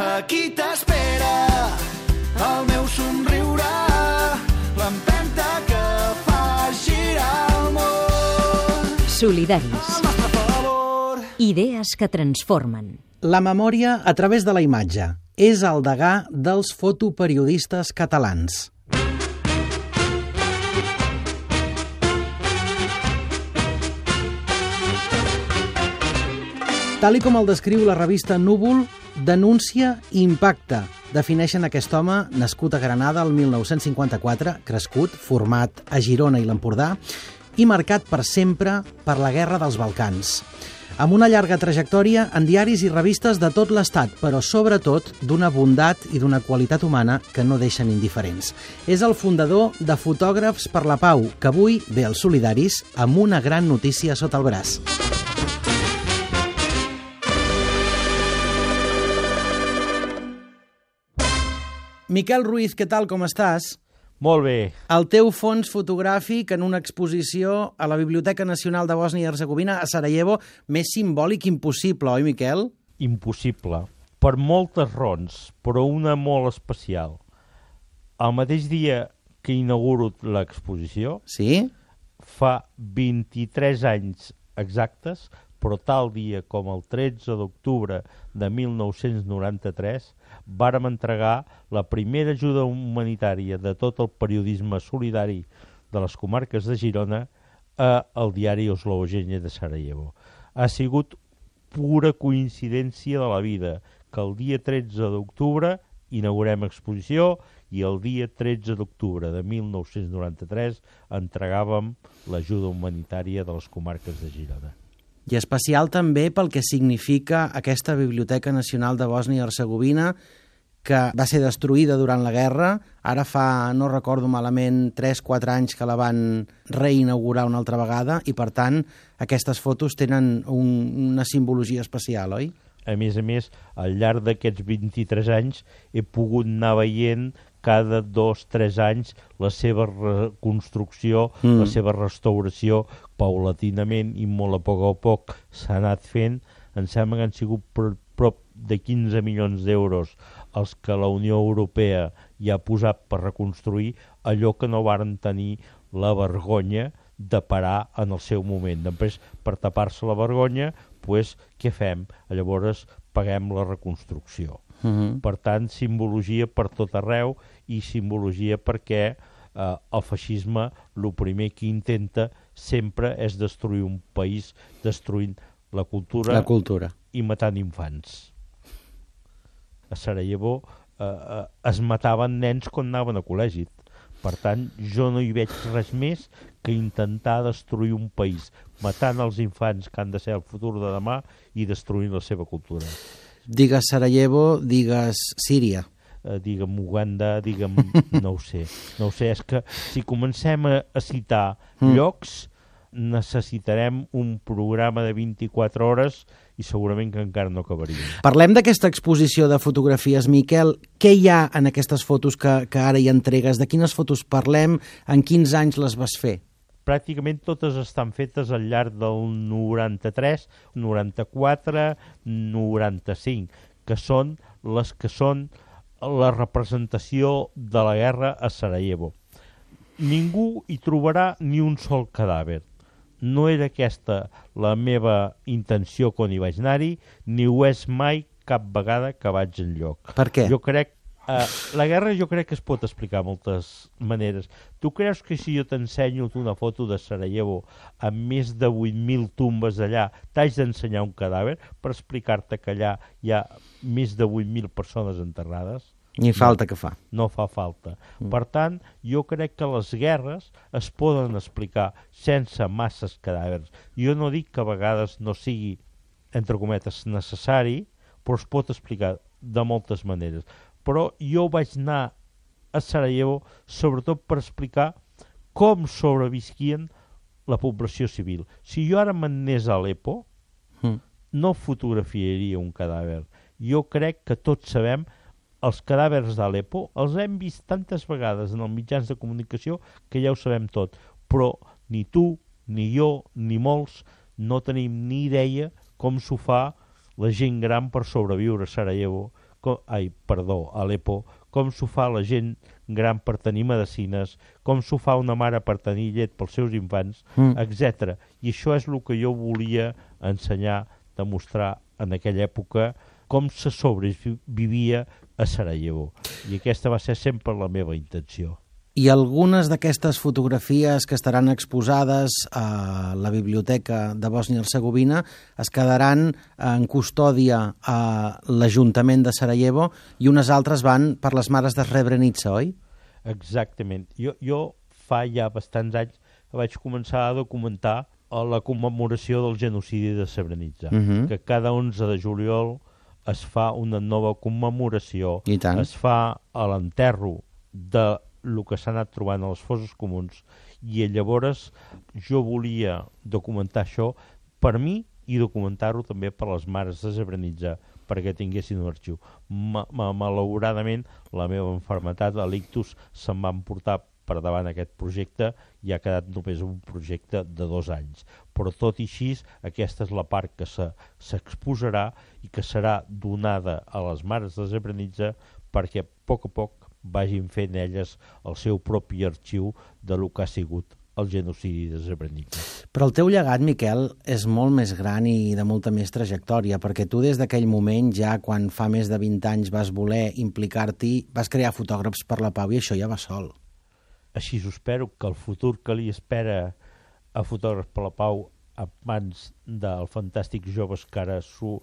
Aquí t'espera el meu somriure, l'empenta que fa girar el món. Solidaris. Al nostre favor. Idees que transformen. La memòria a través de la imatge és el degà dels fotoperiodistes catalans. Tal com el descriu la revista Núvol, denúncia i impacte. Defineixen aquest home, nascut a Granada el 1954, crescut, format a Girona i l'Empordà, i marcat per sempre per la Guerra dels Balcans. Amb una llarga trajectòria en diaris i revistes de tot l'Estat, però sobretot d'una bondat i d'una qualitat humana que no deixen indiferents. És el fundador de Fotògrafs per la Pau, que avui ve als Solidaris amb una gran notícia sota el braç. Miquel Ruiz, què tal, com estàs? Molt bé. El teu fons fotogràfic en una exposició a la Biblioteca Nacional de Bòsnia i Hercegovina a Sarajevo, més simbòlic impossible, oi, Miquel? Impossible. Per moltes raons, però una molt especial. El mateix dia que inauguro l'exposició, Sí? fa 23 anys exactes, però tal dia com el 13 d'octubre de 1993, vàrem entregar la primera ajuda humanitària de tot el periodisme solidari de les comarques de Girona al diari Oslobođenje de Sarajevo. Ha sigut pura coincidència de la vida que el dia 13 d'octubre inaugurem exposició i el dia 13 d'octubre de 1993 entregàvem l'ajuda humanitària de les comarques de Girona. I especial també pel que significa aquesta Biblioteca Nacional de Bòsnia i Hercegovina, que va ser destruïda durant la guerra. Ara fa, no recordo malament, 3-4 anys que la van reinaugurar una altra vegada i, per tant, aquestes fotos tenen una simbologia especial, oi? A més, al llarg d'aquests 23 anys he pogut anar veient cada 2-3 anys la seva reconstrucció, la seva restauració, paulatinament i molt a poc s'ha anat fent. Em sembla que han sigut prop de 15 milions d'euros els que la Unió Europea ja ha posat per reconstruir allò que no varen tenir la vergonya de parar en el seu moment. Després, per tapar-se la vergonya, què fem? Llavors paguem la reconstrucció. Per tant, simbologia per tot arreu i simbologia perquè el feixisme el primer que intenta sempre és destruir un país, destruint la cultura i matant infants. A Sarajevo es mataven nens quan anaven a col·legi. Per tant, jo no hi veig res més que intentar destruir un país, matant els infants que han de ser el futur de demà i destruint la seva cultura. Digues Sarajevo, digues Síria. Digue'm Uganda, digue'm... No ho sé, és que si comencem a citar llocs, necessitarem un programa de 24 hores i segurament que encara no acabaríem. Parlem d'aquesta exposició de fotografies, Miquel. Què hi ha en aquestes fotos que ara hi entregues? De quines fotos parlem? En quins anys les vas fer? Pràcticament totes estan fetes al llarg del 93, 94, 95, que són la representació de la guerra a Sarajevo. Ningú hi trobarà ni un sol cadàver. No era aquesta la meva intenció quan hi vaig anar-hi, ni ho és mai cap vegada que vaig enlloc. Per què? La guerra jo crec que es pot explicar de moltes maneres. Tu creus que si jo t'ensenyo una foto de Sarajevo amb més de 8.000 tombes allà, t'haig d'ensenyar un cadàver per explicar-te que allà hi ha més de 8.000 persones enterrades? Ni falta que fa. No fa falta. Per tant, jo crec que les guerres es poden explicar sense masses cadàvers. Jo no dic que a vegades no sigui, entre cometes, necessari, però es pot explicar de moltes maneres. Però jo vaig anar a Sarajevo sobretot per explicar com sobrevisquien la població civil. Si jo ara m'anés a Aleppo, no fotografiaria un cadàver. Jo crec que tots sabem els cadàvers d'Aleppo, els hem vist tantes vegades en els mitjans de comunicació que ja ho sabem tot, però ni tu, ni jo, ni molts no tenim ni idea com s'ho fa la gent gran per sobreviure a Sarajevo Aleppo, com s'ho fa la gent gran per tenir medicines, com s'ho fa una mare per tenir llet pels seus infants, etc. I això és el que jo volia ensenyar, demostrar en aquella època, com se sobrevivia a Sarajevo. I aquesta va ser sempre la meva intenció. I algunes d'aquestes fotografies que estaran exposades a la Biblioteca de Bòsnia i Hercegovina es quedaran en custòdia a l'Ajuntament de Sarajevo i unes altres van per les Mares de Srebrenica, oi? Exactament. Jo fa ja bastants anys que vaig començar a documentar la commemoració del genocidi de Srebrenica, que cada 11 de juliol es fa una nova commemoració, es fa a l'enterro de el que s'ha anat trobant a les fosses comuns, i llavors jo volia documentar això per mi i documentar-ho també per les Mares de Srebrenica, perquè tinguessin un arxiu. Malauradament, la meva malaltia, l'ictus, se'm va emportar per davant aquest projecte i ha quedat només un projecte de 2 anys. Però tot i així, aquesta és la part que s'exposarà i que serà donada a les Mares de Srebrenica perquè a poc vagin fent elles el seu propi arxiu de lo que ha sigut el genocidi de Srebrenica. Però el teu llegat, Miquel, és molt més gran i de molta més trajectòria, perquè tu des d'aquell moment, ja quan fa més de 20 anys vas voler implicar-t'hi, vas crear Fotògrafs per la Pau i això ja va sol. Així espero que el futur que li espera a Fotògrafs per la Pau a mans dels fantàstics joves que ara s'ho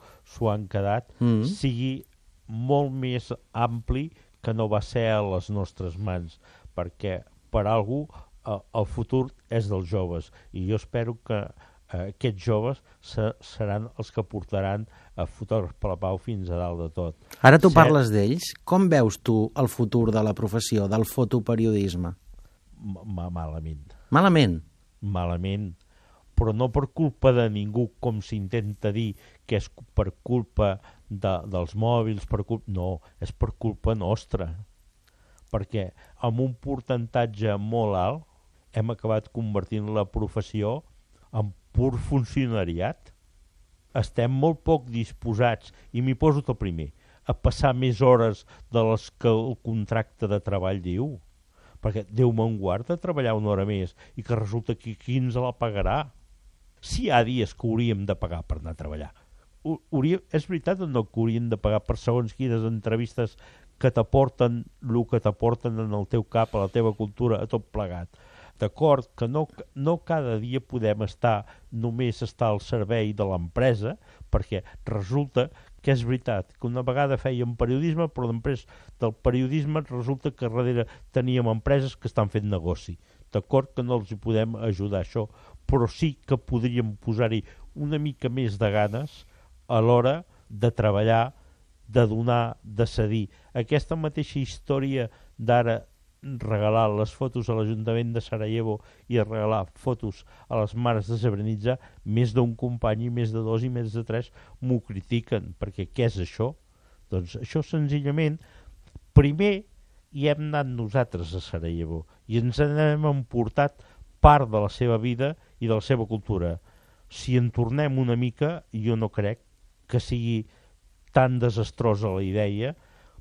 han quedat sigui molt més ampli que no va ser a les nostres mans, perquè per algú el futur és dels joves i jo espero que aquests joves seran els que portaran a Fotògrafs per la Pau fins a dalt de tot. Ara tu parles d'ells. Com veus tu el futur de la professió, del fotoperiodisme? Malament. Malament? Malament, però no per culpa de ningú, com s'intenta dir, que és per culpa dels mòbils, no, és per culpa nostra, perquè amb un percentatge molt alt hem acabat convertint la professió en pur funcionariat. Estem molt poc disposats, i m'hi poso el primer, a passar més hores de les que el contracte de treball diu, perquè Déu me'n guarda treballar una hora més i que resulta que qui ens la pagarà. Si hi ha dies que hauríem de pagar per anar a treballar, és veritat o no que hauríem de pagar per segons quines entrevistes que t'aporten el que t'aporten en el teu cap, a la teva cultura, a tot plegat. D'acord que no cada dia podem només estar al servei de l'empresa, perquè resulta que és veritat que una vegada fèiem periodisme, però després del periodisme resulta que darrere teníem empreses que estan fent negoci. D'acord que no els hi podem ajudar això, però sí que podríem posar-hi una mica més de ganes a l'hora de treballar, de donar, de cedir. Aquesta mateixa història d'ara regalar les fotos a l'Ajuntament de Sarajevo i regalar fotos a les Mares de Srebrenica, més d'un company i més de 2 i més de 3 m'ho critiquen, perquè què és això? Doncs això senzillament, primer hi hem anat nosaltres a Sarajevo i ens hem emportat part de la seva vida i de la seva cultura. Si en tornem una mica, jo no crec que sigui tan desastrosa la idea,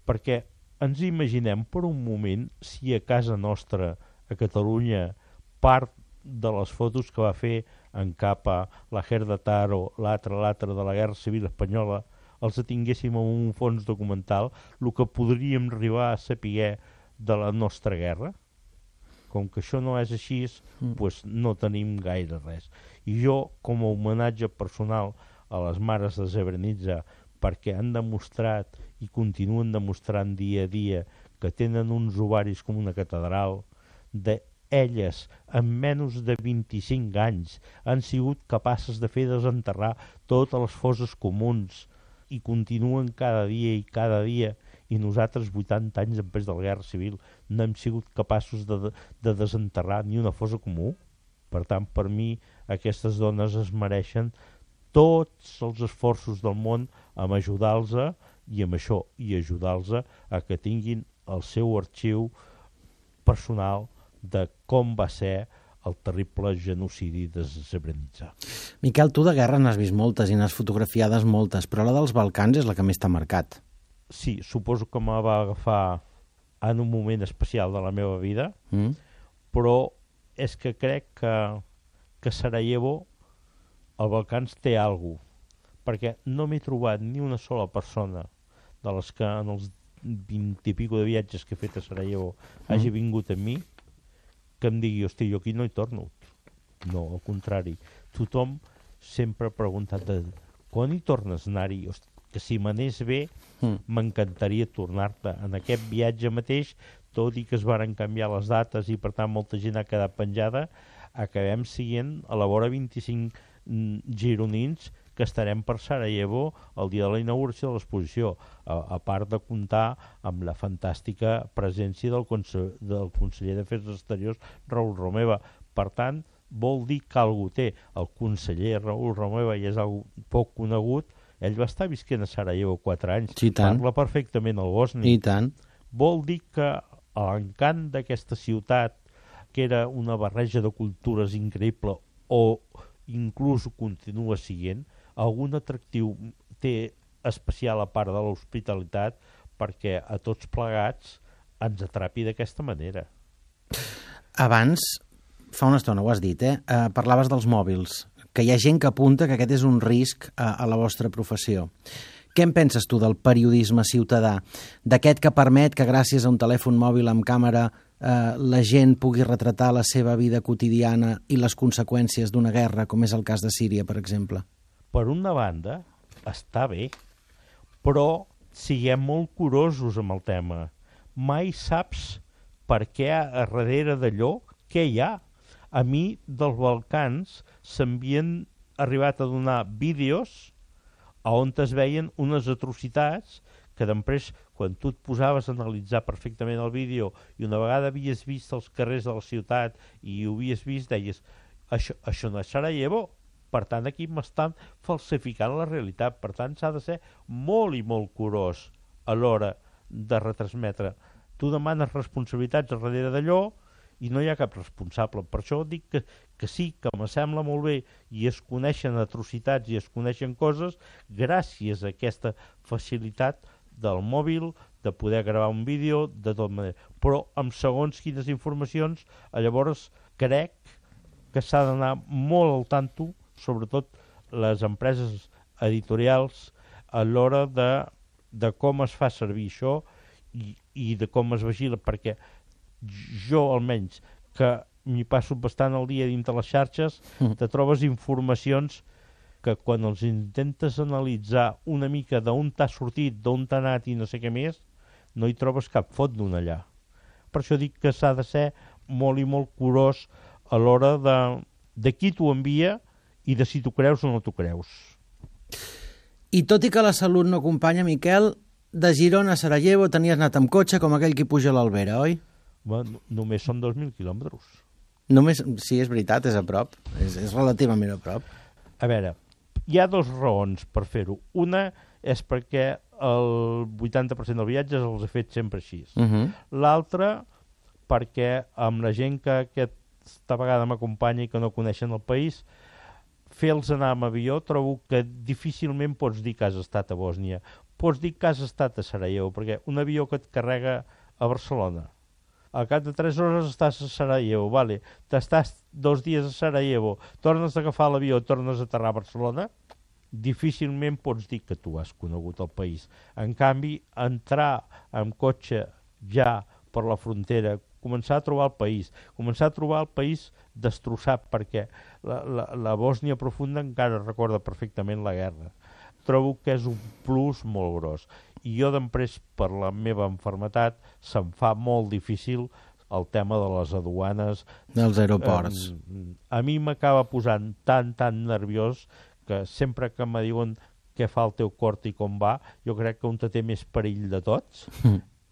perquè ens imaginem per un moment si a casa nostra, a Catalunya, part de les fotos que va fer en Capa, la Gerda Taro, l'altre de la Guerra Civil Espanyola, els tinguéssim en un fons documental, el que podríem arribar a saber de la nostra guerra. Com que això no és així, doncs no tenim gaire res. I jo, com a homenatge personal a les Mares de Srebrenica, perquè han demostrat i continuen demostrant dia a dia que tenen uns ovaris com una catedral, elles, en menys de 25 anys, han sigut capaces de fer desenterrar totes les fosses comuns i continuen cada dia, i nosaltres, 80 anys després de la Guerra Civil, no hem sigut capaços de desenterrar ni una fossa comú. Per tant, per mi, aquestes dones es mereixen tots els esforços del món en ajudar-los i amb això i ajudar-los a que tinguin el seu arxiu personal de com va ser el terrible genocidi de Srebrenica. Miquel, tu de guerra n'has vist moltes i n'has fotografiades moltes, però la dels Balcans és la que més t'ha marcat. sí, suposo que me va agafar en un moment especial de la meva vida, però és que crec que Sarajevo, al Balcans, té alguna cosa, perquè no m'he trobat ni una sola persona de les que en els 20 i pico de viatges que he fet a Sarajevo hagi vingut amb mi que em digui, hosti, jo aquí no hi torno. No, al contrari. Tothom sempre ha preguntat quan hi tornes a anar-hi? Hosti, que si m'anés bé m'encantaria tornar-te. En aquest viatge mateix, tot i que es varen canviar les dates i per tant molta gent ha quedat penjada, acabem siguent a la vora 25 gironins que estarem per Sarajevo el dia de la inauguració de l'exposició, a part de comptar amb la fantàstica presència del conseller d'Afers Exteriors, Raül Romeva. Per tant, vol dir que algú té. El conseller Raül Romeva, i és algú poc conegut, ell va estar visquent a Sarajevo 4 anys. Sí, parla perfectament el bosni. I tant. Vol dir que l'encant d'aquesta ciutat, que era una barreja de cultures increïble, o inclús continua siguent, algun atractiu té especial a part de l'hospitalitat perquè a tots plegats ens atrapi d'aquesta manera. Abans, fa una estona ho has dit, parlaves dels mòbils, que hi ha gent que apunta que aquest és un risc a la vostra professió. Què en penses tu del periodisme ciutadà? D'aquest que permet que gràcies a un telèfon mòbil amb càmera la gent pugui retratar la seva vida quotidiana i les conseqüències d'una guerra, com és el cas de Síria, per exemple? Per una banda, està bé, però siguem molt curosos amb el tema. Mai saps per què a darrere d'allò, què hi ha. A mi, dels Balcans, s'havien arribat a donar vídeos on es veien unes atrocitats que després, quan tu et posaves a analitzar perfectament el vídeo i una vegada havies vist els carrers de la ciutat i ho havies vist, deies, això no és Sarajevo, per tant aquí m'estan falsificant la realitat, per tant s'ha de ser molt i molt curós a l'hora de retransmetre. Tu demanes responsabilitats a darrere d'allò i no hi ha cap responsable. Per això dic que sí, que me sembla molt bé i es coneixen atrocitats i es coneixen coses gràcies a aquesta facilitat del mòbil, de poder gravar un vídeo, de tot manera. Però amb segons quines informacions, llavors crec que s'ha d'anar molt al tanto, sobretot les empreses editorials, a l'hora de com es fa servir això i de com es vigila, perquè jo almenys, que m'hi passo bastant el dia dintre les xarxes, te trobes informacions que quan els intentes analitzar una mica d'on t'ha sortit, d'on t'ha anat i no sé què més, no hi trobes cap fot d'un allà. Per això dic que s'ha de ser molt i molt curós a l'hora de qui t'ho envia i de si t'ho creus o no t'ho creus. I tot i que la salut no acompanya, Miquel, de Girona a Sarajevo tenies anat amb cotxe com aquell qui puja a l'Albera, oi? Bueno, només són 2.000 quilòmetres. Només, sí, és veritat, és a prop. És relativament a prop. A veure, hi ha dues raons per fer-ho. Una és perquè el 80% dels viatges els he fet sempre així. L'altra, perquè amb la gent que aquesta vegada m'acompanya i que no coneixen el país, fer-los anar amb avió trobo que difícilment pots dir que has estat a Bòsnia. Pots dir que has estat a Sarajevo, perquè un avió que et carrega a Barcelona, al cap de 3 hores estàs a Sarajevo, vale. T'estàs 2 dies a Sarajevo, tornes a agafar l'avió, tornes a aterrar a Barcelona, difícilment pots dir que tu has conegut el país. En canvi, entrar amb cotxe ja per la frontera, començar a trobar el país destrossat, perquè la Bòsnia profunda encara recorda perfectament la guerra. Trobo que és un plus molt gros. I jo després, per la meva malaltia, se'm fa molt difícil el tema de les aduanes. Dels aeroports. A mi m'acaba posant tan nerviós que sempre que me diuen què fa el teu cor i com va, jo crec que on té més perill de tots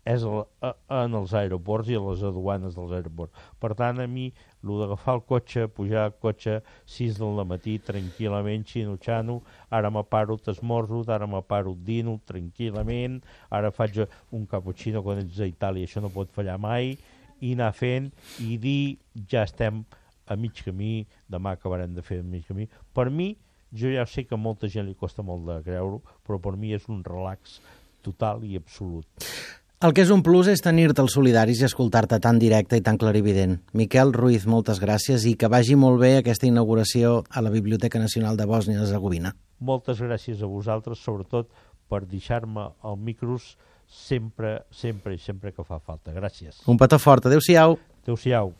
és en els aeroports i a les aduanes dels aeroports. Per tant, a mi, el d'agafar el cotxe, pujar al cotxe 6 del matí, tranquil·lament, xino-xano, ara me paro, t'esmorzo, ara me paro, dino, tranquil·lament, ara faig un cappuccino quan ets a Itàlia, això no pot fallar mai, i anar fent, i dir, ja estem a mig camí, demà acabarem de fer a mig camí. Per mi, jo ja sé que a molta gent li costa molt de creure-ho, però per mi és un relax total i absolut. El que és un plus és tenir-te als Solidaris i escoltar-te tan directe i tan clarivident. Miquel Ruiz, moltes gràcies i que vagi molt bé aquesta inauguració a la Biblioteca Nacional de Bòsnia-Hercegovina. Moltes gràcies a vosaltres, sobretot per deixar-me el micros sempre que fa falta. Gràcies. Un petó fort. Adéu-siau. Adéu-siau.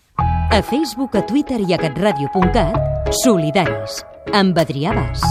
A Facebook, a Twitter i a catradio.cat, Solidaris, amb Adrià Bas.